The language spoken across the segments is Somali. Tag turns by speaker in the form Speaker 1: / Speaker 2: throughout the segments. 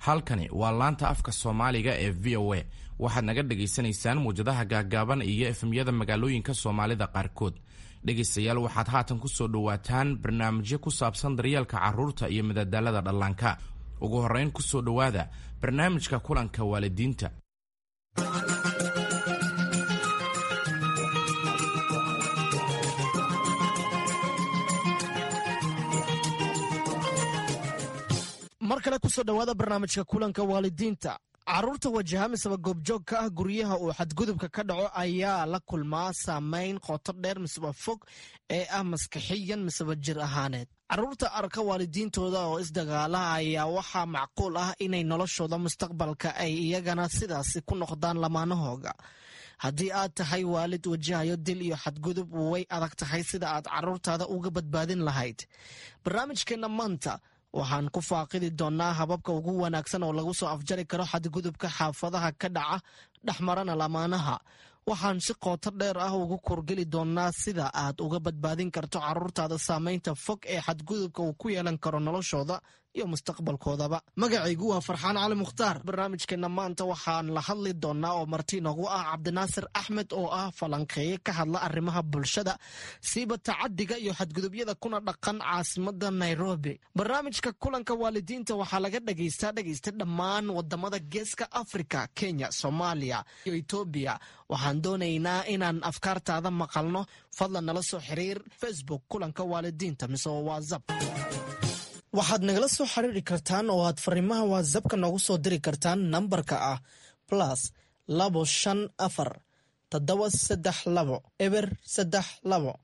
Speaker 1: Halkani waa laanta afka Soomaaliga ee VOA. Waxaad naga dhagaysanaysaan muwjadaha gaaggaaban iyo FM-yada magaalooyinka Soomaalida qaarkood. Dhegaystayaal, waxaad haatan ku soo dhowaataan barnaamijyo ku saabsan daryeelka carruurta iyo madadaalada dhallaanka. Ugu horrayn, ku soo dhowaada barnaamijka kulanka waalidiinta.
Speaker 2: Mar kale kusoo dhowaada barnaamijka kulanka waalidiinta. Carruurta wajaha miseba goobjoog ka ah guryaha uu xadgudubka ka dhaco ayaa la kulmaa saameyn qoto dheer miseba fog ee ah maskaxiyan miseba jir ahaaneed. Carruurta arka waalidiintooda oo isdagaala ayaa waxaa macquul ah inay noloshooda mustaqbalka ay iyagana sidaasi ku noqdaan lamaanahooga. Haddii aad tahay waalid wajahayo dil iyo xadgudub, way adag tahay sida aad carruurtaada uga badbaadin lahayd. Barnaamijkeenna maanta waxaan ku faaqidi doonnaa hababka ugu wanaagsan oo lagu soo afjari karo xadgudubka xaafadaha ka dhaca dhexmarana lamaanaha. Waxaan si qooto dheer ah ugu kurgeli doonnaa sida aad uga badbaadin karto carruurtaada saameynta fog ee xadgudubka uu ku yeelan karo noloshooda iyo mustaqbalkoodaba. Magacaygu waa Farxaan Cali Mukhtaar. Barnaamijkeenna maanta waxaan la hadli doonnaa oo marti noogu ah Cabdinaasir Axmed oo ah falanqeeye ka hadla arrimaha bulshada, siiba tacadiga iyo xadgudubyada, kuna dhaqan caasimada Nairobi. Barnaamijka kulanka waalidiinta waxaa laga dhagaystaa dhegaysta dhammaan wadamada Geeska Afrika, Kenya, Soomaaliya iyo Etoobiya. Waxaan doonaynaa inaan afkaartaada maqalno. Fadlan nala soo xiriir Facebook kulanka waalidiinta mise WhatsApp. Waxaad nagala soo xiriiri kartaan oo aad fariimaha WhatsAppka noogu soo diri kartaan nambarka ah +254 732 032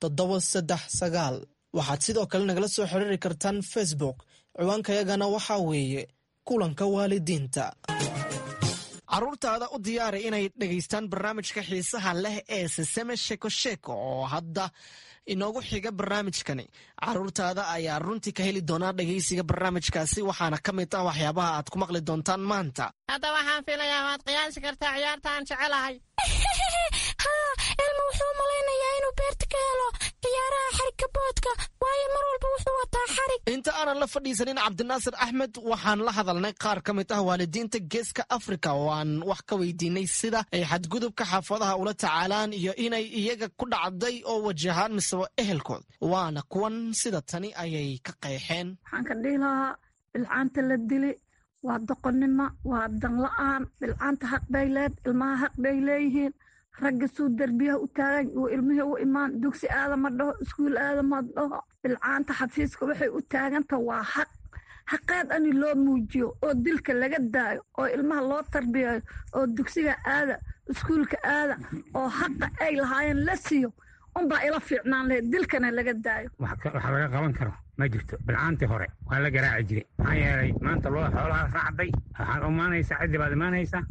Speaker 2: 739. Waxaad sidoo kale nagala soo xiriiri kartaan Facebook. Ciwaankayagana waxaa weeye kulanka waalidiinta. Carruurtaada u diyaari inay dhegaystaan barnaamijka xiisaha leh ee Siseme Sheko Sheko oo hadda inoogu xiga barnaamijkani. Carruurtaada ayaa runtii ka heli doonaa dhegaysiga barnaamijkaasi, waxaana ka mid ah waxyaabaha aad ku maqli doontaan maanta.
Speaker 3: Hadda waxaan filayaa waad qiyaasi kartaa ciyaarta aan jecelahay.
Speaker 4: Haa, Elmo wuxuu malaynayaa inuu beerta ka helo ciyaaraha xarigka boodka, waayo mar walba wuxuu wataa xarig.
Speaker 2: Inta aanan la fadhiisanin Cabdinaasir Axmed, waxaan la hadalnay qaar ka mid ah waalidiinta Geeska Afrika oo aan wax ka weydiinay sida ay xadgudubka xaafadaha ula tacaalaan iyo inay iyaga ku dhacday oo wajahaan miseba ehelkood. Waana kuwan, sida tani ayay ka qeexeen.
Speaker 5: Waxaan ka dhihi lahaa, bilcaanta la dili waa doqonnimo, waa danla-aan. Bilcaanta xaq bay leed, ilmaha xaq bay leeyihiin. Ragga suu derbiyaha u taagan uu ilmihii u imaan, dugsi aadama dhaho, iskuul aadama dhaho. Bilcaanta xafiiska waxay u taaganta waa xaq. Xaqeed ani loo muujiyo oo dilka laga daayo oo ilmaha loo tarbiyayo oo dugsiga aada, iskuulka aada, oo xaqa ay lahaayeen la siiyo unbaa ila fiicnaan lahayd, dilkana laga daayo.
Speaker 6: Wax laga qaban karo ma jirto. Bilcaantii hore waa la garaaci jiray, maxaa yeelay maanta loo xoolaha raacday. Waxaad imaanaysaa, ciddi baad imaanaysaa,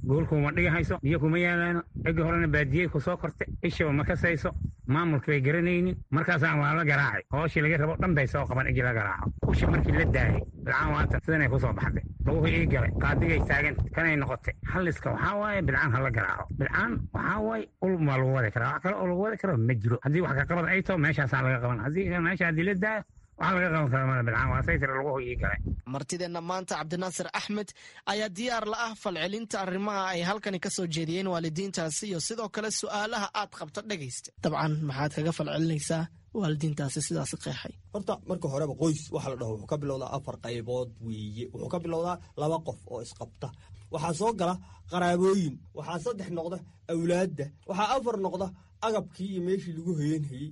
Speaker 6: goolkuma dhigahayso, biyo kuma yaalaano. Ciddi horena baadiyey ku soo kortay, ishaba ma kasayso, maamulka bay garanaynin. Markaasaan waa la garaacay, hooshii laga rabo dhan bay soo qaban igi la garaaco. Usha markii la daayay, bilcaan waatan sidanay ku soo baxday, laguhu ii galay, qaadigay taagan kanay noqotay. Halliska waxaa waaye bilcaan ha la garaaco. Bilcaan waxaa waaye ul waa lagu wadi karaa, wax kale oo lagu wadi karo ma jiro. Haddii wax ka qabad ay taho, meeshaasaa laga qaban. Haddii meesha haddii la daayo, waxaa laga qaban karaa mala. Bilcaan waa saytira laguhu ii galay.
Speaker 2: Martideenna maanta, Cabdinaasir Axmed, ayaa diyaar la ah falcelinta arrimaha ay halkani ka soo jeediyeen waalidiintaasi iyo sidoo kale su'aalaha aad qabta. Dhegaysta, dabcan maxaad kaga falcelinaysaa waalidiintaasi sidaasi qeexay?
Speaker 7: Horta marka horeba qoys waxa la dhaho wuxuu ka bilowdaa afar qaybood weeye. Wuxuu ka bilowdaa laba qof oo isqabta, waxaa soo gala qaraabooyin, waxaa saddex noqda awlaadda, waxaa afar noqda agabkii iyo meeshii lagu hoyanhayey.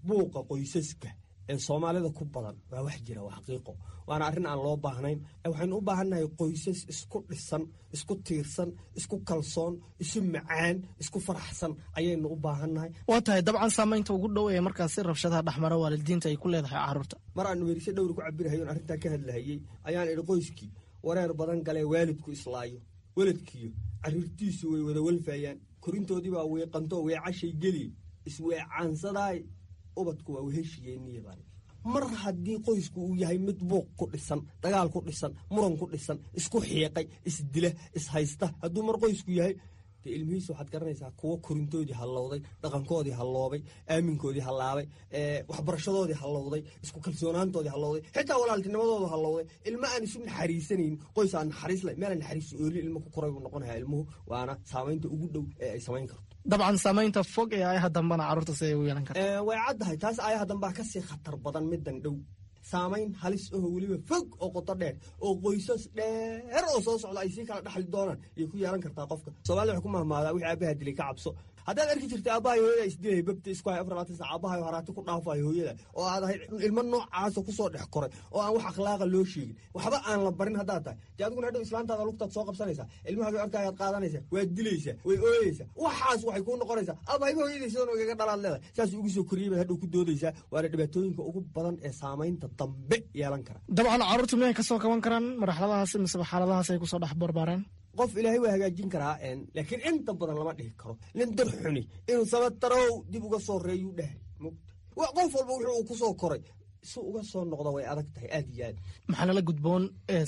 Speaker 7: Buuqa qoysaska ee Soomaalida ku badan waa wax jira, waa xaqiiqo, waana arrin aan loo baahnayn. Waxaynu u baahannahay qoysas isku dhisan, isku tiirsan, isku kalsoon, isu macaan, isku faraxsan ayaynu u baahannahay.
Speaker 2: Waa tahay. Dabcan saamaynta ugu dhow ee markaasi rabshadaha dhexmara waalidiinta ay ku leedahay carruurta.
Speaker 7: Mar aan weerisho dhowr ku cabirahayo on arrintaa ka hadlahayey ayaan idhi: qoyskii wareer badan galee, waalidku islaayo, weladkiyo carruurtiisu way wada walfayaan, korintoodii baa weeqanto, weecashay geli, isweecaansadaay, ubadku waa weheshiyeeniya baan. Mar haddii qoysku uu yahay mid buuq ku dhisan, dagaal ku dhisan, muran ku dhisan, isku xiiqay, isdila, ishaysta, hadduu mar qoysku yahay, Dee ilmihiisa waxaad garanaysaa kuwo korintoodii hallowday, dhaqankoodii halloobay, aaminkoodii hallaabay, waxbarashadoodii hallowday, isku kalsoonaantoodii hallowday, xitaa walaaltinimadoodu hallowday. Ilmo aan isu naxariisanayn, qoys aan naxariis lahayn, meel aan naxariis oolin ilmo ku koray buu noqonayaa ilmuhu. Waana saamaynta ugu dhow ee ay samayn karto.
Speaker 2: Dabcan saamaynta fog ee aayaha dambena carruurta siday ugu yeelan karta.
Speaker 7: Way caddahay taas. Aayaha dambaa kasii khatar badan middan dhow. Saamayn halis aho weliba fog oo qoto dheer oo qoysas dheer oo soo socda ay sii kala dhaxli doonaan ayay ku yeelan kartaa qofka. Soomaalida waxay ku mahmaadaa, wixii aabaha dilay ka cabso. Haddaad arki jirtay aabbahay hooyada isdilay, babta isku hay 24 saac, aabbahay haraati ku dhaafayo hooyada, oo aad ahayd ilmo noocaasa kusoo dhex koray oo aan wax akhlaaqa loo sheegin, waxba aan la barin haddaad tahay, dee adiguna hadhow islaantaada lugtaad soo qabsanaysaa, ilmahaagay arkaayaad qaadanaysaa, waad dilaysaa, way ooyeysaa. Waxaas waxay kuu noqonaysaa aabahayba hooyadii sidan igaga dhalaad leedahay, saas ugu soo koriyey baad hadhow ku doodaysaa. Waana dhibaatooyinka ugu badan ee saamaynta dambe yeelan kara.
Speaker 2: Dabcan carruurtu miyay kasoo kaban karaan marxaladahaas miseba xaaladahaas ay kusoo dhex barbaareen?
Speaker 7: Qof ilaahay waa hagaajin karaa, laakiin inta badan lama dhihi karo. Nin dar xuni inuu sabatarow dib uga soo reeyuu dhahay mugta. Qof walba wuxuu uu ku soo koray si uga soo noqda way adag tahay aad iyo aad.
Speaker 2: Maxaa nala gudboon?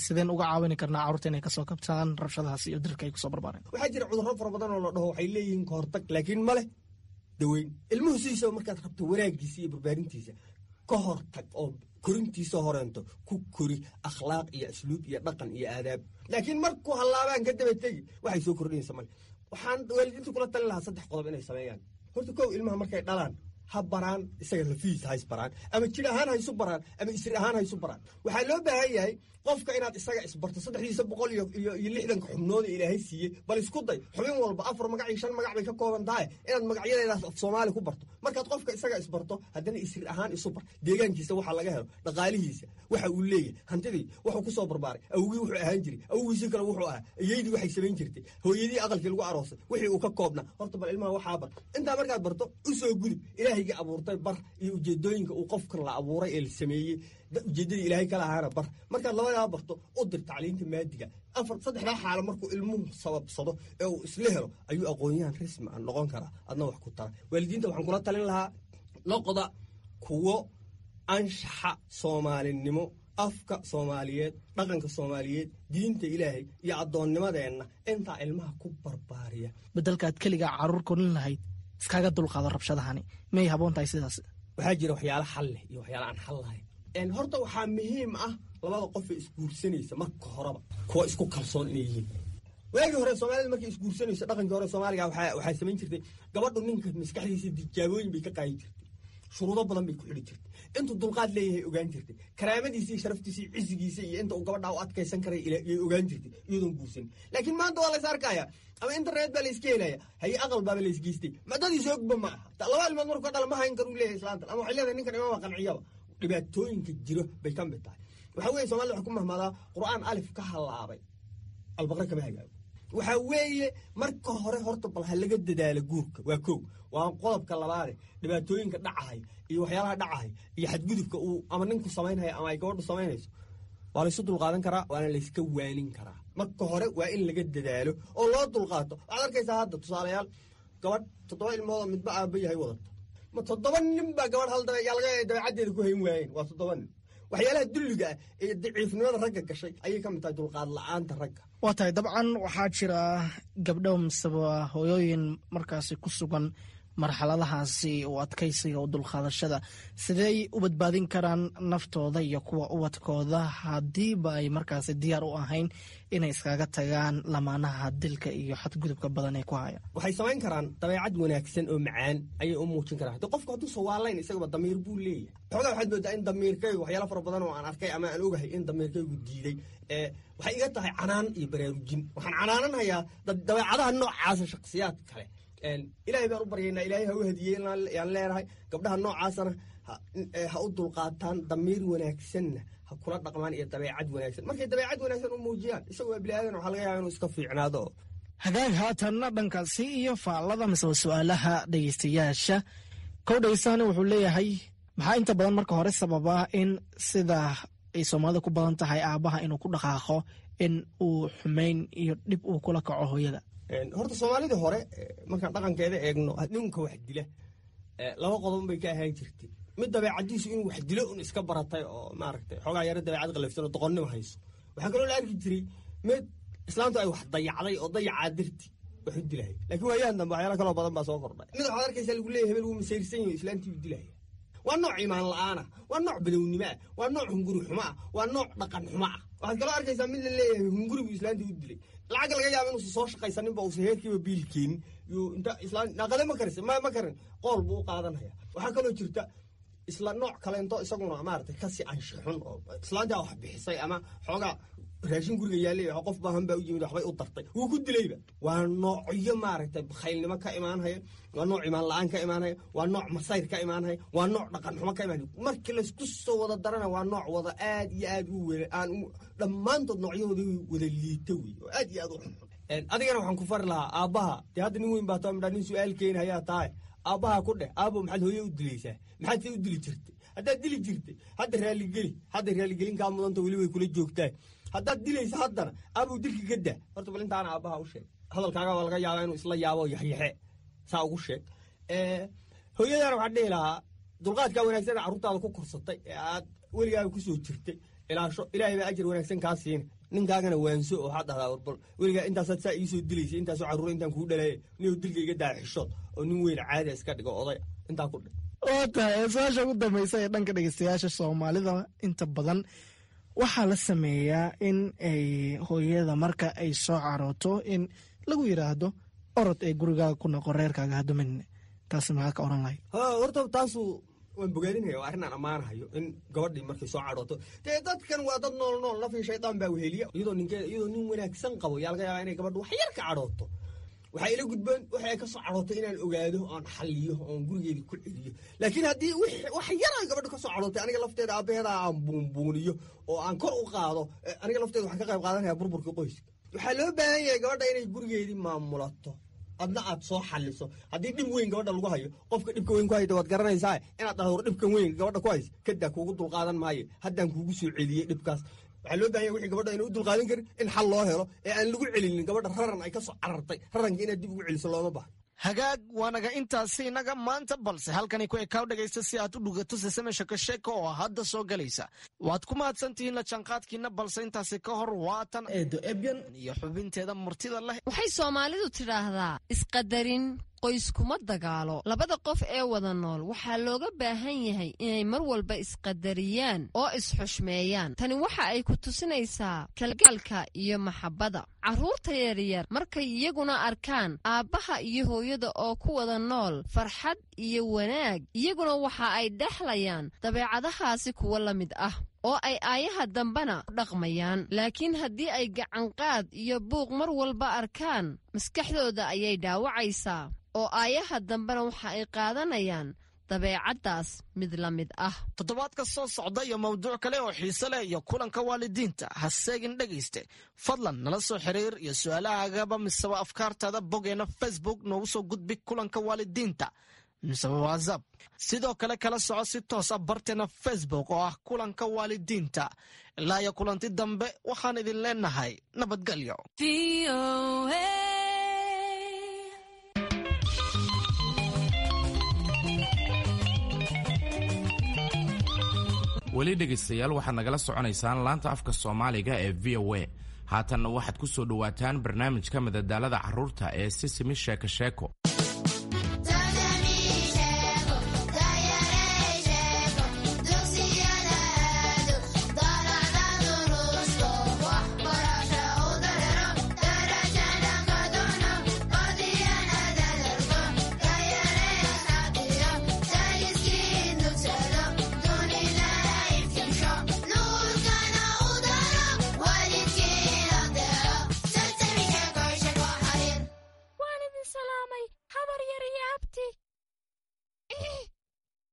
Speaker 2: Sideen uga caawini karnaa carruurta inay kasoo kabtaan rabshadahaas iyo dirka ay kusoo barbaareen?
Speaker 7: Waxaa jira cudurro fara badan oo la dhaho waxay leeyihiin kahortag, laakiin ma leh daweyn. Ilmuhu sidiisaba markaad rabto wanaagiisa iyo barbaarintiisa, ka hortag oo korintiisa horeento ku kori akhlaaq iyo asluub iyo dhaqan iyo aadaab. Laakiin markuu hallaabaan ka daba tegi, waxay soo kordhinaysa male. Waxaan waalidiinta kula talin lahaa saddex qodob inay sameeyaan. Horta kow, ilmaha markay dhalaan ha baraan isaga lafihiisa, ha isbaraan, ama jir ahaan ha isu baraan ama isri ahaan ha isu baraan. Waxaa loo baahan yahay qofka inaad isaga isbarto, 360-ka xubnooda ilaahay siiyey. Bal isku day xubin walba afar magac iyo shan magac bay ka kooban tahay inaad magacyadeedaas af Soomaali ku barto. Markaad qofka isaga isbarto, haddana isri ahaan isu bar, deegaankiisa waxa laga helo, dhaqaalihiisa waxa uu leeyahay, hantidii wuxuu ku soo barbaaray, awgii wuxuu ahaan jiray, awgiisii kale wuxuu ahaa, iyaydii waxay samayn jirtay, hooyadii aqalkii lagu aroosay wixii uu ka koobnaa. Horta bal ilmaha waxaa bar. Intaa markaad barto, u soo gudub ilaahayga abuurtay bar iyo ujeedooyinka uu qofkan la abuuray ee la sameeyey, ujeeddadii ilaahay kala ahaana bar. Markaad labadaa barto, u dir tacliinta maadiga. Afar saddexdaa xaalo markuu ilmuhu sababsado ee uu isla helo ayuu aqoon-yahan rasmi ah noqon karaa, adna wax ku tara. Waalidiinta waxaan kula talin lahaa, noqda kuwo anshaxa soomaalinimo, afka soomaaliyeed, dhaqanka soomaaliyeed, diinta ilaahay iyo addoonnimadeenna intaa ilmaha ku barbaariya.
Speaker 2: Bedelkaad keligaa carruur korin lahayd, iskaga dulqaado rabshadahani, miyay haboon tahay sidaas?
Speaker 7: Waxaa jira waxyaalo xal leh iyo waxyaalo aan xal lahayn. Horta waxaa muhiim ah labada qof ee isguursanaysa marka horeba kuwa isku kalsoon inay yihiin. Waagii hore soomaalida markay isguursanayso, dhaqankii hore soomaaliga, waxaa samayn jirtay gabadhu ninka maskaxdiisa tijaabooyin bay ka qaadi jirtay, shuruudo badan bay ku xidhi jirtay, intuu dulqaad leeyahay ogaan jirtay, karaamadiisa iyo sharaftiisa iyo cisigiisa iyo inta uu gabadhaa u adkaysan karay yay ogaan jirtay iyadoon guursanin. Laakiin maanta waa lays arkaya ama internet baa layska helaya, haye aqal baaba laysgeystay, madadiisa ogba ma aha. Laba ilmood markuu ka dhala, ma hayn kar uu leeyahay islaantan, ama waxay leedahay ninkan imaama qanciyaba. Dhibaatooyinka jiro bay ka mid tahay. Waxaa weeye somalida waxay ku mahmaadaa, qur'aan alif ka halaabay albaqre kama hagaago. Waxaa weeye marka hore horta bal ha laga dadaalo guurka, waa kow. Waa qodobka labaade, dhibaatooyinka dhacahay iyo waxyaalaha dhacahay iyo xadgudubka uu ama ninku samaynhayo ama ay gabadhu samaynayso waa laysu dulqaadan karaa, waana layska waanin karaa. Marka hore waa in laga dadaalo oo loo dulqaato. Waxaad arkaysaa hadda tusaalayaal, gabadh toddoba ilmoodoo midba aaba yahay wadato. Ma toddoba nin baa gabadh hal yaa laga dabeecaddeeda ku hayn waayeen? Waa toddoba nin. Waxyaalaha dulliga ah ee daciifnimada ragga gashay ayay ka mid tahay dulqaad la-aanta ragga.
Speaker 2: Waa tahay. Dabcan waxaa jira gabdho miseba hooyooyin markaasi ku sugan marxaladahaasi u adkaysiga u dulqaadashada. Sidey u badbaadin karaan naftooda iyo kuwa ubadkooda haddiiba ay markaasi diyaar u ahayn inay iskaga tagaan lamaanaha dilka iyo xadgudubka badan ee ku haya?
Speaker 7: Waxay samayn karaan, dabeecad wanaagsan oo macaan ayay u muujin karaan. Hadi qofku hadduu sawaalayn, isagaba damiir buu leeyahay. Xoogaa waxaad moodaa in damiirkaygu waxyaala fara badan oo aan arkay ama aan ogahay in damiirkaygu diiday. Waxay iga tahay canaan iyo baraarujin. Waxaan canaananhayaa dabeecadaha noocaasa shakhsiyaad kale. Ilaahay baan u baryaynaa, ilaahay ha u hadiyey yaan leenahay. Gabdhaha noocaasana ha u dulqaataan, damiir wanaagsanna ha kula dhaqmaan iyo dabeecad wanaagsan. Markay dabeecad wanaagsan u muujiyaan, isagu waa bini aadan, waxaa laga yaaba inuu iska fiicnaado.
Speaker 2: Hagaag, haatanna dhankaasi iyo faallada mise su-aalaha dhegeystayaasha. Kow dhegeystahan wuxuu leeyahay, maxaa inta badan marka hore sababa in sida ay soomaalida ku badan tahay aabaha inuu ku dhaqaaqo in uu xumeyn iyo dhib uu kula kaco hooyada?
Speaker 7: Horta soomaalidii hore markaan dhaqankeeda eegno, ninka wax dila laba qodob bay ka ahaan jirtay. Mid dabeecadiisu inuu wax dilo un iska baratay oo maaragtay xoogaa yaro dabeecad qalafsan oo doqonnimo hayso. Waxaa kaloo la arki jiray mid islaantu ay wax dayacday oo dayacaa darti wax u dilaya. Laakiin waayahan dambe waxyaala kaloo badan baa soo kordhay. Mid waxaad arkaysaa lagu leeyahay hebel wuu masayrsan yahay, islaantii buu dilaya. Waa nooc iimaan la'aana, waa nooc badownimo ah, waa nooc hunguri xumo ah, waa nooc dhaqan xumo ah. Waxaad kaloo arkaysaa mid la leeyahay hunguri buu islaantii u dilay. Lacag laga yaaba inuusan soo shaqaysaninba, uusan heerkiiba biil keenin, yuu inta islaan naqade ma karis ma karin qool buu u qaadanaya. Waxaa kaloo jirta isla nooc kaleento isaguna maaragtay kasii anshixun oo islaantaa wax bixisay ama xoogaa raashin guriga yaallay, qof baahan baa u yimid, waxbay u dartay, wuu ku dilayba. Waa noocyo maaragtay bakhaylnimo ka imaanhaya, waa nooc imaan la-aan ka imaanhaya, waa nooc masayr ka imaanhaya, waa nooc dhaqan xumo ka imaanhaya. Markii laysku soo wada darana waa nooc wada aad iyo aad u wena aan dhammaantood noocyahooda wada liita wey oo aad iyo aad u xunxun. Adigana waxaan ku fari lahaa aabbaha, dee hadda nin weyn baa taa midhaa, nin su-aal keeni hayaa tahay, aabbaha ku dheh: aabo, maxaad hooye u dilaysaa? Maxaad se u dili jirtay? Haddaad dili jirtay hadda raaligeli, hadda raaligelin kaa mudanta, weli way kula joogtaa. Haddaad dilaysa haddana, aabow, dilka ka daa horta. Bal intaana aabbaha u sheeg, hadalkaaga waa laga yaabaa inuu isla yaabo, yaxyaxe saa ugu sheeg. Hooyadana waxaan dhihi lahaa dulqaadkaa wanaagsan ee carruurtaada ku korsatay ee aad weligaaga kusoo jirtay ilaasho, ilaahay baa ajar wanaagsan kaa siina. Ninkaagana waanso oo waxaad dhahdaa: warbal weligaa intaasaad saa iisoo dilaysay, intaasoo carruura intaan kuu dhalaye, ninuu dilka iga daa, xishood oo nin weyn caadi iska dhigo, oday intaa ku dhe.
Speaker 2: Waa tahay su-aasha ugu dambaysa ee dhanka dhegeystayaasha Soomaalida. Inta badan waxaa la sameeyaa in ay hooyada marka ay soo carooto in lagu yidhaahdo: orod ee gurigaaga ku noqo, reerkaaga hadumin. Taasi maxaa ka oran lahayd?
Speaker 7: Horta taasu waan bogaadinaya, waa arrin aan ammaanahayo in gabadhii markay soo cadhooto. Dee dadkan waa dad nool nool, nafii shaydaan baa weheliya. Iyadoo ninkeeda, iyadoo nin wanaagsan qabo, yaa laga yaabaa inay gabadhu wax yar ka cadhooto. Waxaa ila gudboon waxay ay ka soo cadhootay inaan ogaado oon xalliyo oon gurigeedii ku celiyo. Laakiin haddii wax yar ay gabadhu ka soo cadhootay, aniga lafteeda aabbaheeda aan buunbuuniyo oo aan kor u qaado, aniga lafteeda waxaan ka qayb qaadanaya burburkii qoyska. Waxaa loo baahan yahay gabadha inay gurigeedii maamulato, adna aad soo xaliso. Haddii dhib weyn gabadha lagu hayo, qofka dhibka weyn ku hayda waad garanaysaa, inaad dhahdo: war, dhibkan weyn gabadha ku haysa kadaa, kuugu dulqaadan maayo, haddaan kuugu soo celiyey dhibkaas. Waxaa loo bahan yahay wixii gabadha ayna u dulqaadan karin in xal loo helo ee aan lagu celinin gabadha raran ay ka soo carartay. Raranka inaad dib ugu celiso looma baha.
Speaker 2: Hagaag, waanaga intaasi inaga maanta, balse halkani ku ekaaw dhegaysta si aad u dhugato Sesame Sheeko Sheeko oo hadda soo galaysa. Waad ku mahadsantihiin la jaanqaadkiina, balse intaasi ka hor waatan Eedo Ebyan iyo xubinteeda murtida leh.
Speaker 8: Waxay Soomaalidu tidhaahdaa: isqadarin qoyskuma dagaalo. Labada qof ee wada nool waxaa looga baahan yahay inay mar walba isqadariyaan oo isxushmeeyaan. Tani waxa ay ku tusinaysaa kalgaalka iyo maxabbada. Carruurta yaryar markay iyaguna arkaan aabbaha iyo hooyada oo ku wada nool farxad iyo wanaag, iyaguna waxa ay dhexlayaan dabeecadahaasi kuwa la mid ah oo ay aayaha dambena ku dhaqmayaan. Laakiin haddii ay gacanqaad iyo buuq mar walba arkaan, maskaxdooda ayay dhaawacaysaa oo aayaha dambena waxa ay qaadanayaan dabeecaddaas mid la mid ah.
Speaker 2: Toddobaadka soo socda iyo mawduuc kale oo xiise leh iyo kulanka waalidiinta ha seegin dhegayste. Fadlan nala soo xiriir iyo su-aalahaagaba miseba afkaartaada boggeena Facebook noogu soo gudbi, kulanka waalidiinta, miseba WhatsApp. Sidoo kale kala soco si toos ah barteena Facebook oo ah kulanka waalidiinta. Ilaa iyo kulanti dambe, waxaan idin leenahay nabadgelyo.
Speaker 1: Weli dhegaystayaal, waxaad nagala soconaysaan laanta afka Soomaaliga ee VOA. Haatanna waxaad ku soo dhowaataan barnaamijka madadaalada carruurta ee Sisimi Sheeko Sheeko.
Speaker 4: Waan idin salaamay, habar yar iyo abti.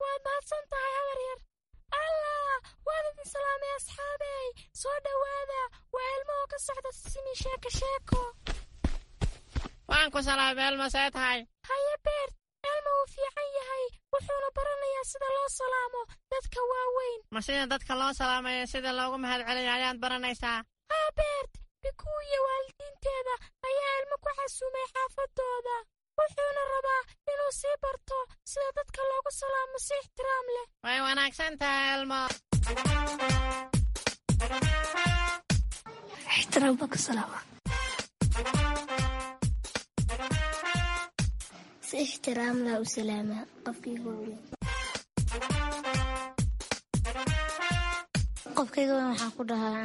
Speaker 4: Waad mahadsan tahay, habar yar. Allah, waan idin salaamay, asxaabey. Soo dhowaada, waa ilmo oo ka socda Sisimi Sheeko Sheeko.
Speaker 3: Waan ku salaamay, Elmo, see tahay?
Speaker 4: Haye Beert, Elmo wuu fiican yahay, wuxuuna baranayaa sida loo salaamo dadka waaweyn.
Speaker 3: Ma sida dadka loo salaamayo sida loogu mahadceliyo ayaad baranaysaa?
Speaker 4: Haa Beert, Bikuu iyo waalidiinteeda ayaa ilmo ku casuumay xaafadooda, wuxuuna rabaa inuu sii barto sida dadka loogu salaamo si ixtiraam leh.
Speaker 3: Way wanaagsan tahay, Elmo.
Speaker 5: Ixtiraam baan ku salaama.
Speaker 9: Si ixtiraam laa u salaamaa qofkayga weyn. Qofkayga weyn waxaan ku dhahaa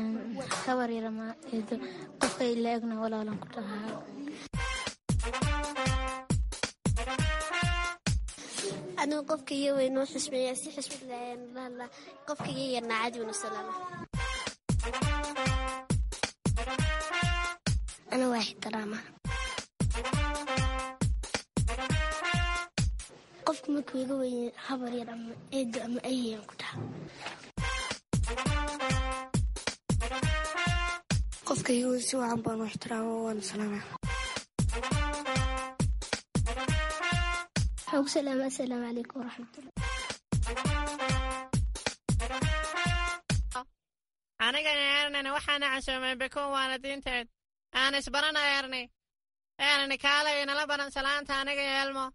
Speaker 9: habar yar ama eedo, qofka ila egna walaalan ku dhahaa. Anigu qofka iga weyn oo xusmeeya, si xusmad leh ayaan ula hadlaa. Qofka iga yarna caadi waan u salaama. Ana waa ixtiraama. Qofka markuu iga weyn habar yar ama eedo ama ayayaan ku dhahaa.
Speaker 10: Qofka iga weyn si wacan baan u ixtiraama, waana salaamaa.
Speaker 9: Waxaan ku salaamaa assalaamu calaykum waraxmatullah.
Speaker 3: Aniga Ernina waxaana casuumay Bikuun waalidiinteed. Aan isbarana Erni. Erni, kaalay inala baran salaanta aniga iyo Elmo.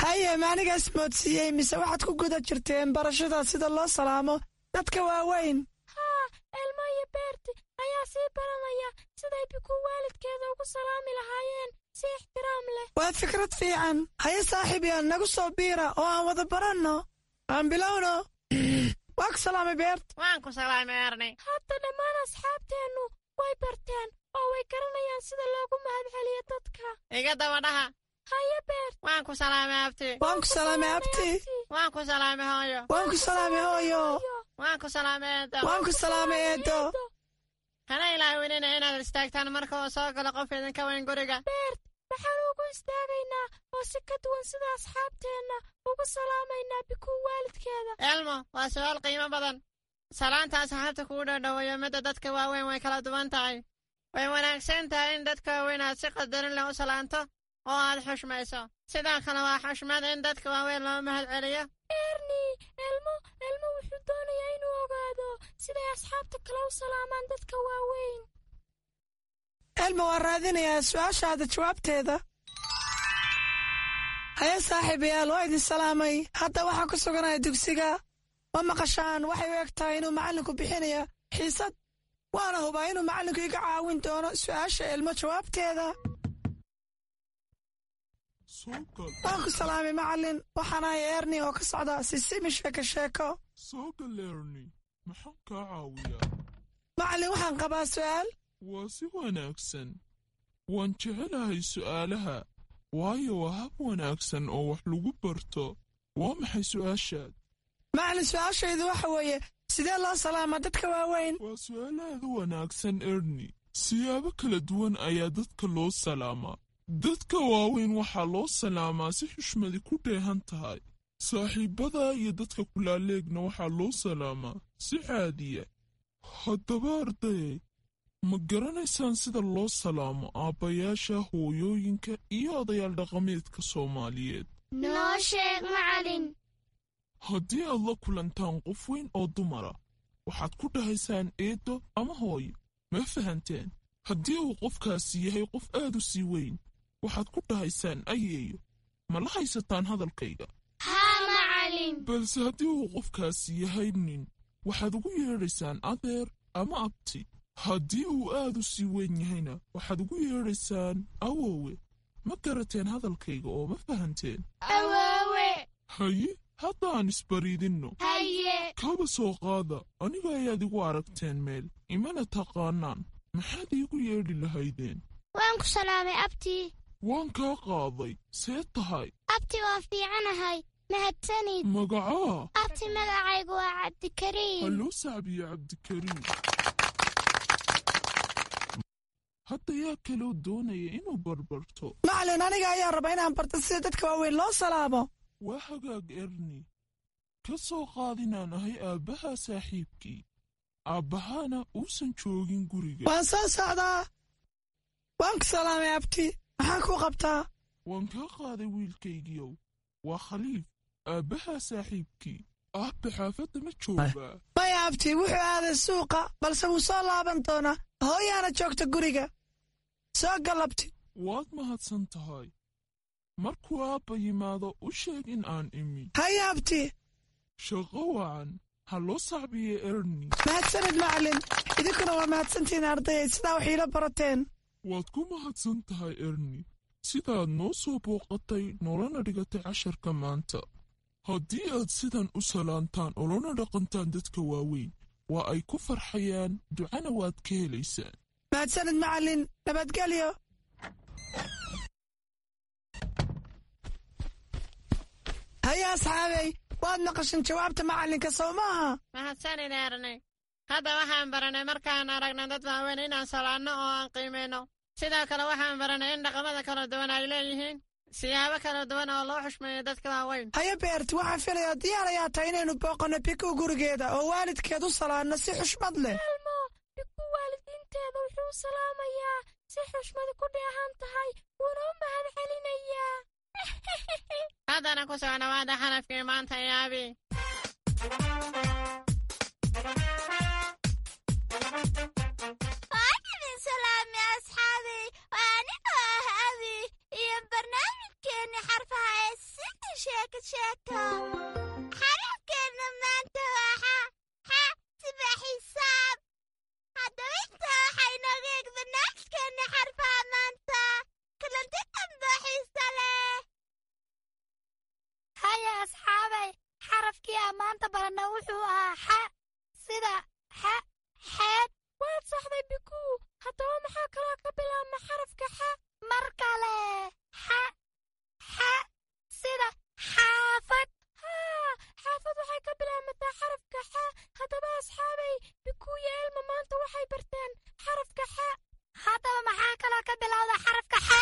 Speaker 11: Haye, ma anigaas moodsiiyey mise waxaad ku guda jirteen barashada sida loo salaamo dadka waaweyn?
Speaker 4: Haa, Elmo iyo Beerti ayaa sii baranaya siday Bikuu waalidkeeda ugu salaami lahaayeen si ixtiraam leh.
Speaker 11: Waa fikrad fiican. Haye saaxiibyaal, nagu soo biira oo aan wada baranno. Aan bilowno. Waa ku salaamay, Beert.
Speaker 3: Waan ku salaamay, Erni.
Speaker 4: Hadda dhammaan asxaabteennu way barteen oo way garanayaan sida loogu mahadceliyo dadka.
Speaker 3: Iga daba dhaha.
Speaker 4: Haye, Beert.
Speaker 3: Waan ku salaamay, abti.
Speaker 11: Waan ku salaamay, abti.
Speaker 3: Waan ku salaamay, hooyo.
Speaker 11: Waan ku salaamay, hooyo.
Speaker 3: Waan ku salaamay, eedo.
Speaker 11: Waan ku salaamay, eedo.
Speaker 3: Hana ilaawinina inaad istaagtaan marka uu soo galo qof idinka weyn guriga.
Speaker 4: Beert, maxaan ugu istaagaynaa oo si ka duwan sida asxaabteenna ugu salaamaynaa Bikuu waalidkeeda?
Speaker 3: Elmo, waa su'aal qiimo badan. Salaanta asxaabta kugu dhowdhoweeyo midda dadka waaweyn way kala duwan tahay. Way wanaagsan tahay in dadka waaweyn aad si qadarin leh u salaanto oo aad xushmayso. Sidoo kale waa xushmad in dadka waaweyn loo mahad celiyo.
Speaker 4: Erni, Elmo wuxuu doonayaa inuu ogaado siday asxaabta kale u salaamaan dadka waaweyn.
Speaker 11: Elmo waa raadinayaa su'aashaada jawaabteeda. Haye saaxiibayaal, waa idin salaamay. Hadda waxaan ku suganaya dugsiga. Ma maqashaan? Waxay u eg tahay inuu macallinku bixinaya xiisad, waana hubaa inuu macallinku iga caawin doono su'aasha Elmo jawaabteeda. Waan ku salaamay, macallin. Waxaan ahay Erni oo ka socda Sisimi Sheeko Sheeko.
Speaker 12: Soo gal, Erni. Maxaan kaa caawiyaa?
Speaker 11: Macallin, waxaan qabaa su'aal.
Speaker 12: Waa si wanaagsan. Waan jecelahay su'aalaha, waayo waa hab wanaagsan oo wax lagu barto. Waa maxay su'aashaad?
Speaker 11: Macallin, su'aashaydu waxa weeye, sidee loo salaamaa dadka waaweyn?
Speaker 12: Waa su'aal aad u wanaagsan, Erni. Siyaabo kala duwan ayaa dadka loo salaamaa. Dadka waaweyn waxaa loo salaamaa si xushmadi ku dheehan tahay. Saaxiibbada iyo dadka kulaaleegna waxaa loo salaamaa si caadiya. Haddaba ardayay, ma garanaysaan sida loo salaamo aabbayaasha, hooyooyinka iyo odayaal dhaqameedka Soomaaliyeed?
Speaker 9: Noo sheeg, macalin.
Speaker 12: Haddii aad la kulantaan qof weyn oo dumara, waxaad ku dhahaysaan eedo ama hooyo. Ma fahanteen? Haddii uu qofkaasi yahay qof aad u sii weyn, waxaad ku dhahaysaan ayeeyo. Ma la haysataan hadalkayga?
Speaker 9: Haa, macalin.
Speaker 12: Balse haddii uu qofkaasi yahay nin, waxaad ugu yeedhaysaan adeer ama abti. Haddii uu aad u sii weyn yahayna, waxaad ugu yeedhaysaan awoowe. Ma garateen hadalkayga oo ma fahanteen?
Speaker 9: Awoowe.
Speaker 12: Haye, hadda aan isbariidinno.
Speaker 9: Haye.
Speaker 12: Kaba soo qaada aniga ayaad igu aragteen meel, imana taqaanaan. Maxaad iigu yeedhi lahaydeen?
Speaker 9: Waan ku salaamay, abti.
Speaker 12: Waan kaa qaaday. See tahay?
Speaker 9: Abti, waa fiicanahay, mahadsanid.
Speaker 12: Magacaa?
Speaker 9: Abti, magacaygu waa Cabdikariim.
Speaker 12: Ha loo sacbiyo Cabdikariim. Hadda yaa kaloo doonaya inuu barbarto?
Speaker 11: Macallin, aniga ayaa raba inaan barto sida dadka waaweyn loo salaamo.
Speaker 12: Waa hagaag, Erni. Ka soo qaad inaan ahay aabbaha saaxiibkii, aabbahaana uusan joogin guriga.
Speaker 11: Waan soo socdaa. Waan ku salaamay, abti. Maxaan kuu qabtaa?
Speaker 12: Waan kaa qaaday, wiilkaygiiow. Waa Khaliif, aabbaha saaxiibkii. Aabba xaafadda ma joogaa?
Speaker 11: Maya, abti, wuxuu aaday suuqa, balse wuu soo laaban doonaa. Hooyaana joogta guriga. Soo gal, abti.
Speaker 12: Waad mahadsan tahay. Markuu aabba yimaado, u sheeg in aan imi.
Speaker 11: Haye, abti.
Speaker 12: Shaqo wacan. Ha loo sacbiye Erni.
Speaker 11: Mahadsanid macallin, idinkuna waa mahadsantihiin ardayay, sidaa wax iila barateen.
Speaker 12: Waad ku mahadsan tahay Erni, sidaad noo soo booqatay noolana dhigatay casharka maanta. Haddii aad sidan u salaantaan oo lana dhaqantaan dadka waaweyn, waa ay ku farxayaan, ducana waad ka helaysaan.
Speaker 11: Mahadsanid macallin, nabadgelyo. Haya asxaabey, waad maqashan jawaabta macallinka, soo maaha?
Speaker 3: Mahadsanid Erni. Hadda waxaan baranay markaan aragna dad waaweyn inaan salaanno oo aan qiimayno. Sidoo kale waxaan baranay in dhaqamada kala duwan ay leeyihiin siyaabo kala duwan oo loo xushmeeyo dadka waaweyn.
Speaker 11: Haye Beert, waxaan filayaa diyaar ayaa tahay inaynu booqanno Biku gurigeeda oo waalidkeed u salaanno si xushmad leh.
Speaker 4: Elmo, Biku waalidiinteeda wuxuu salaamayaa si xushmad ku dheehan tahay, wuuna u mahad celinayaa.
Speaker 3: Haddana ku soo dhawaada xarafkii maanta iyo Abi.
Speaker 9: Waan idin salaamay asxaabey, waa anigoo ah Abi iyo barnaamijkeenni xarfaha ee sida sheeko sheeko. Xarafkeenna maanta waa xa, xa sida xisaab. Haddaba intaa waxaa inooga eeg barnaamijkeenni xarfaha maanta. Kulanti dambe xiisa leh.
Speaker 4: Haya asxaabay, xarafkii aan maanta baranna wuxuu ahaa xa, sida xa xeeb. Waad saxday Bikuu. Haddaba maxaa kaloo ka bilaabma xarafka xa? Mar kale xa, xa sida xaafad. Haa, xaafad waxay ka bilaabmataa xarafka xa. Haddaba asxaabay, Bikuu iyo Elma maanta waxay barteen xarafka xa. Haddaba maxaa kaloo ka bilowda xarafka xa?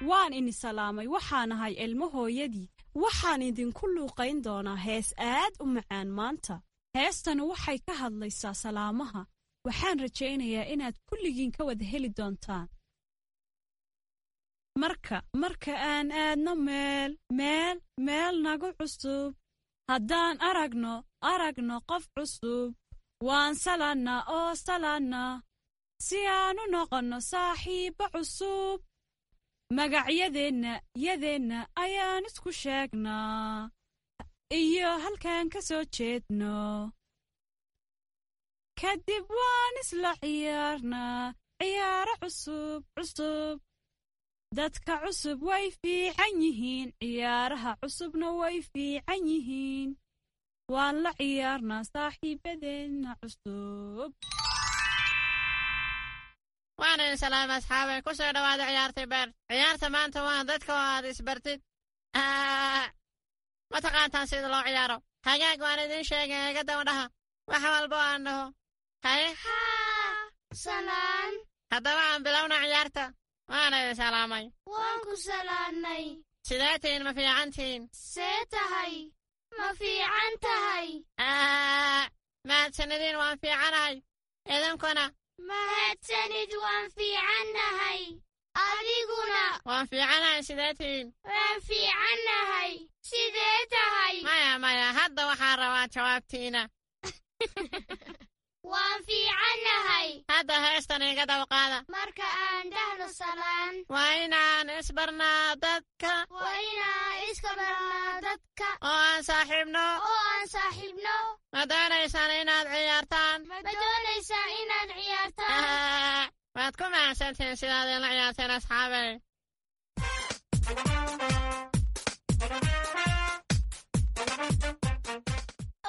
Speaker 13: Waan ini salaamay, waxaan ahay Elmo hooyadii. Waxaan idinku luuqayn doonaa hees aad u macaan maanta. Heestanu waxay ka hadlaysaa salaamaha. Waxaan rajaynayaa inaad kulligiin ka wada heli doontaan. Marka aan aadno meel meel meel nagu cusub, haddaan aragno qof cusub, waan salaannaa oo salaannaa si aan u noqonno saaxiibbo cusub. Magacyadeenna yadeenna ayaan isku sheegnaa iyo halkaan ka soo jeedno. Kadib waan isla ciyaarnaa ciyaaro cusub cusub. Dadka cusub way fiican yihiin, ciyaaraha cusubna way fiican yihiin. Waan la ciyaarnaa saaxiibadeenna cusub.
Speaker 3: Waana idin salaamay asxaabay, ku soo dhawaada ciyaartii Beer. Ciyaarta maanta waa dadka oo aad isbartid. Ma taqaantaan sida loo ciyaaro? Hagaag, waan idiin sheegay, iga daba dhaha wax walba oo aan dhaho. Haye.
Speaker 4: Salaan.
Speaker 3: Haddaba aan bilowna ciyaarta. Waana idin salaamay.
Speaker 4: Waan ku salaannay.
Speaker 3: Sidee tihiin, ma fiican tihiin?
Speaker 4: See tahay? Ma fiican tahay?
Speaker 3: Mahadsanidin, waan fiicanahay. Idinkuna?
Speaker 4: Mahadsanid, waan fiicannahay. Adiguna?
Speaker 3: Waan fiicanahay, sidee tihiin?
Speaker 4: Waan fiicannahay. Sidee tahay?
Speaker 3: Maya maya, hadda waxaan rabaa jawaabtiina.
Speaker 4: Waan fiicannahay.
Speaker 3: Hadda heestan iga daba qaada.
Speaker 4: Marka aan dhahno salaan,
Speaker 3: waa inaan isbarnaa dadka.
Speaker 4: Waa inaan iska barnaa dadka.
Speaker 3: Oo aan saaxiibno.
Speaker 4: Oo aan saaxiibno.
Speaker 3: Ma doonaysaan inaad ciyaartaan?
Speaker 4: Ma doonaysaan inaad ciyaartaan?
Speaker 3: Waad ku mahadsantihiin sidaad ila ciyaarteen asxaabey.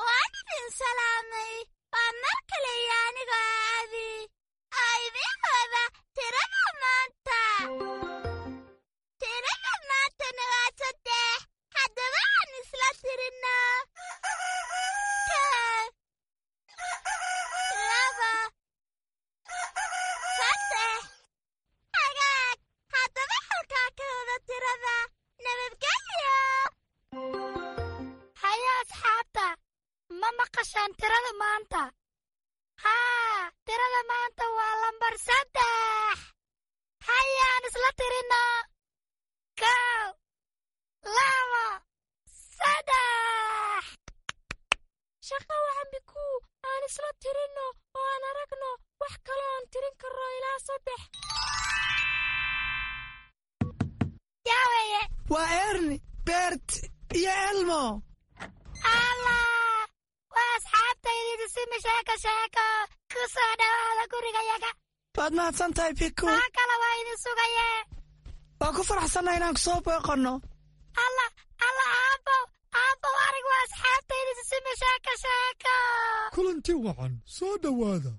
Speaker 9: Waan idin salaamay, waa mar kale iyo anigoo ah Abi oo idiin wada tirada maanta. Tirada maantana waa 3. Haddaba aan isla tirinno: 1, 2, 3. Hagaag, haddaba halkaa ka wada tirada. Nabadgelyo.
Speaker 4: Haya asxaabta, ma maqashaan tirada maanta? Haa, tirada maanta waa lambar 3. Hayaan isla tirinno: 1, 2, 3.
Speaker 9: Shaqa wacan Bikuu, aan isla tirinno oo aan aragno wax kaloo aan tirin karno ilaa 3. Yaa weeye?
Speaker 11: Waa Erni, Bert iyo Elmo.
Speaker 4: Allah, waa asxaabtaydii Sisimi Sheeko Sheeko, ku soo dhowaada gurigayaga.
Speaker 11: Waad mahadsan tahay, Biku.
Speaker 4: Maa kale waa idin sugaye.
Speaker 11: Waan ku faraxsannahay inaan ku soo booqanno.
Speaker 4: Allah, Allah, aabbow, aabbow, arag, waa asxaabtaydii Sisimi Sheeko Sheeko.
Speaker 14: Kulanti wacan, soo dhowaada.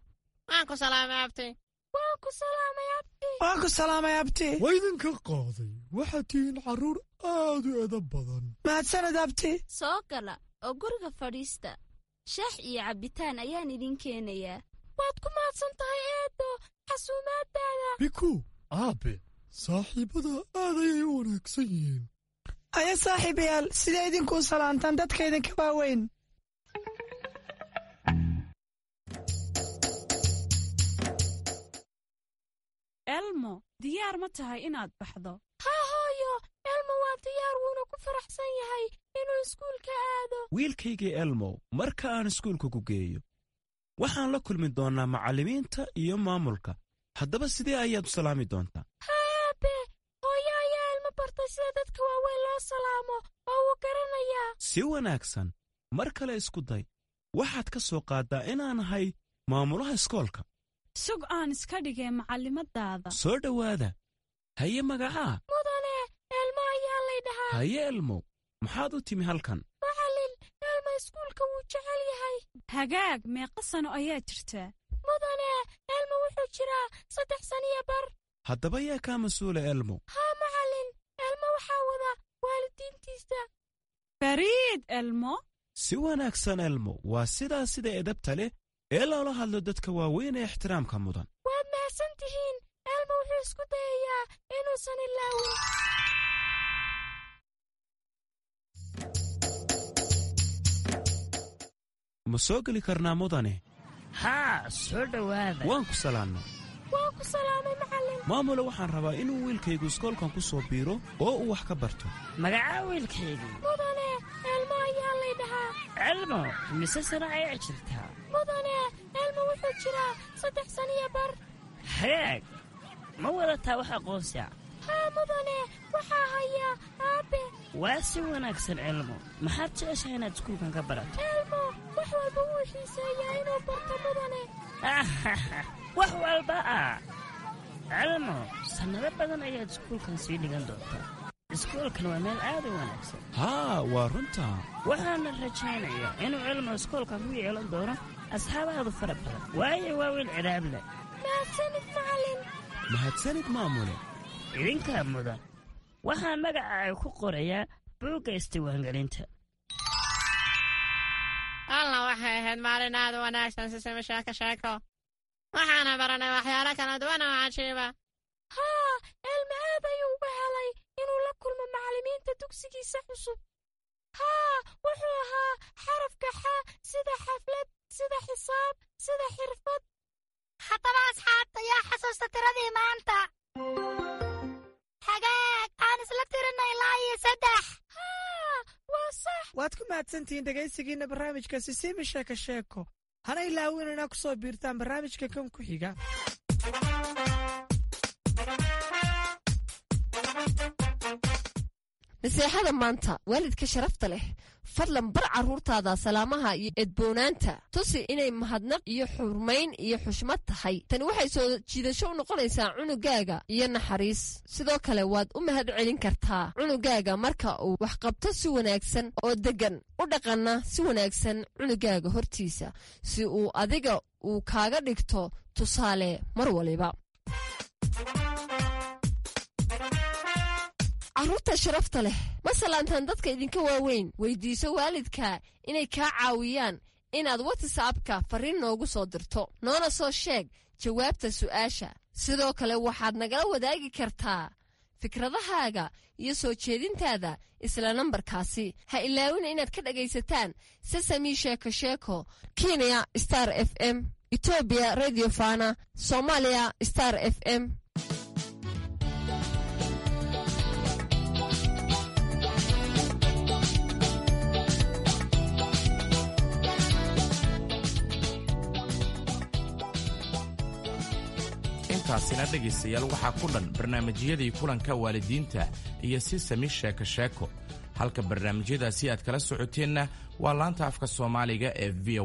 Speaker 3: Waan ku salaamay, abti.
Speaker 4: Waan ku salaamay, abti.
Speaker 11: Waan ku salaamay, abti.
Speaker 14: Waa idinka qaaday, waxaad tihiin carruur aad u edab badan.
Speaker 11: Mahadsanid, abti.
Speaker 9: Soo gala oo guriga fadhiista. Shax iyo cabbitaan ayaan idin keenayaa.
Speaker 4: Waad ku mahadsan tahay, eedo, xasuumaadaada.
Speaker 14: Biku, aabe, saaxiibada aad ayay u wanaagsan yihiin.
Speaker 11: Aya, saaxiibayaal, sidee idinkuu salaantaan dadka idinka waaweyn?
Speaker 13: Elmo, diyaar ma tahay inaad baxdo?
Speaker 4: Haa hooyo, Elmo waa diyaar, wuuna ku faraxsan yahay inuu iskuulka aado.
Speaker 15: Wiilkaygii Elmow, marka aan iskuulka ku geeyo waxaan la kulmi doonnaa macallimiinta iyo maamulka. Haddaba sidee ayaad u salaami doontaa?
Speaker 4: Haa aabe, hooyo ayaa Elmo bartay sida dadka waaweyn loo salaamo oo wuu garanayaa.
Speaker 15: Si wanaagsan, mar kale isku day. Waxaad ka soo qaaddaa inaan ahay maamulaha iskoolka.
Speaker 13: Sug aan iska dhigee macallimadaada.
Speaker 15: Soo dhowaada. Haye, magacaa?
Speaker 4: Mudane, Elmo ayaa lay dhahaa.
Speaker 15: Haye Elmow, maxaad u timi halkan?
Speaker 4: Macallin, Elmo iskuulka wuu jecel yahay.
Speaker 13: Hagaag, meeqa sano ayaa jirtaa?
Speaker 4: Mudane, Elmo wuxuu jiraa 3 sano iyo bar.
Speaker 15: Haddaba yaa kaa mas-uula, Elmo?
Speaker 4: Haa macallin, Elmo waxaa wada waalidiintiisa.
Speaker 13: Fariid Elmo.
Speaker 15: Si wanaagsan, Elmo. Waa sidaa sida edabta leh ee loola hadlo dadka waaweyn ee ixtiraamka mudan.
Speaker 4: Waad mahadsan tihiin. Elmo wuxuu isku dayayaa inuusan ilaawin.
Speaker 15: Ma soo geli karnaa, mudane?
Speaker 16: Haa, soo dhowaada.
Speaker 15: Waan ku salaamnay.
Speaker 4: Waan ku salaamay, macallin.
Speaker 15: Maamule, waxaan rabaa inuu wiilkaygu iskoolkan ku soo biiro oo uu wax ka barto.
Speaker 16: Magacaa wiilkaygii?
Speaker 4: Mudane, Elmo ayaa lay dhahaa.
Speaker 16: Elmo, mise sano ayaa jirtaa?
Speaker 4: Mudane, Elmo wuxuu jiraa 3 sano iyo bar.
Speaker 16: Hagaag, ma wadataa wax aqoonsi ah?
Speaker 4: Haa mudane, waxaa hayaa aabe.
Speaker 16: Waa si wanaagsan, Elmo. Maxaad jeceshahay inaad iskuulkan ka barato?
Speaker 4: Elmo wax walba wuu xiiseeyaa inuu barto, mudane.
Speaker 16: Wax walba ah? Elmo, sannado badan ayaad iskuulkan sii dhigan doontaa. Iskuulkan waa meel aad u wanaagsan.
Speaker 15: Haa, waa runtaa.
Speaker 16: Waxaana rajaynayaa inuu Elmo iskoolkan ku yeelan doono asxaab aad u fara badan, waayo waa wiil cidaab leh.
Speaker 4: Mahadsanid, macallin.
Speaker 15: Mahadsanid, maamule.
Speaker 16: Idinkaa mudan. Waxaan magaca ay ku qorayaa buugga isdiiwaangelinta.
Speaker 3: Alla, waxay ahayd maalin aad u wanaagsan, Sisimi Sheeko Sheeko. Waxaana baranay waxyaalo kala duwan oo cajiiba.
Speaker 4: Haa, Elmo aad ayuu uga helay inuu la kulmo macallimiinta dugsigiisa cusub. Haa, wuxuu ahaa xarafka xa, sida xaflad, sida xisaab, sida xirfad. Haddaba asxaabta, yaa xasuusta tiradii maanta? Hagaag, aan isla tirinay ilaa iyo 3. Haa, waa sax.
Speaker 11: Waad ku mahadsantihiin dhegaysigiinna barnaamijka Sisimi Sheeko Sheeko. Hana ilaawin inaa ku soo biirtaan barnaamijka kan ku xiga.
Speaker 8: Naseexada maanta: waalidka sharafta leh, fadlan bar carruurtaada salaamaha iyo edboonaanta. Tusi inay mahadnaq iyo xurmayn iyo xushmad tahay. Tani waxay soo jiidasho u noqonaysaa cunugaaga iyo naxariis. Sidoo kale waad u mahad celin kartaa cunugaaga marka uu waxqabto si wanaagsan oo deggan u dhaqanna si wanaagsan cunugaaga hortiisa, si uu adiga uu kaaga dhigto tusaale mar waliba. Carruurta sharafta leh, ma salaantaan dadka idinka waaweyn? Weydiiso waalidka inay kaa caawiyaan inaad WhatsAppka farriin noogu soo dirto, noona soo sheeg jawaabta su'aasha. Sidoo kale waxaad nagala wadaagi kartaa fikradahaaga iyo soo jeedintaada isla nambarkaasi. Ha ilaawina inaad ka dhagaysataan Sesami Sheeko Sheeko Kenya Star FM, Etoobiya Radio Fana, Soomaaliya Star FM.
Speaker 1: Intaasina dhegaystayaal waxaa ku dhan barnaamijyadii kulanka waalidiinta iyo Sisami Sheeko Sheeko. Halka barnaamijyadaasi aad kala socoteenna waa laanta afka Soomaaliga ee V.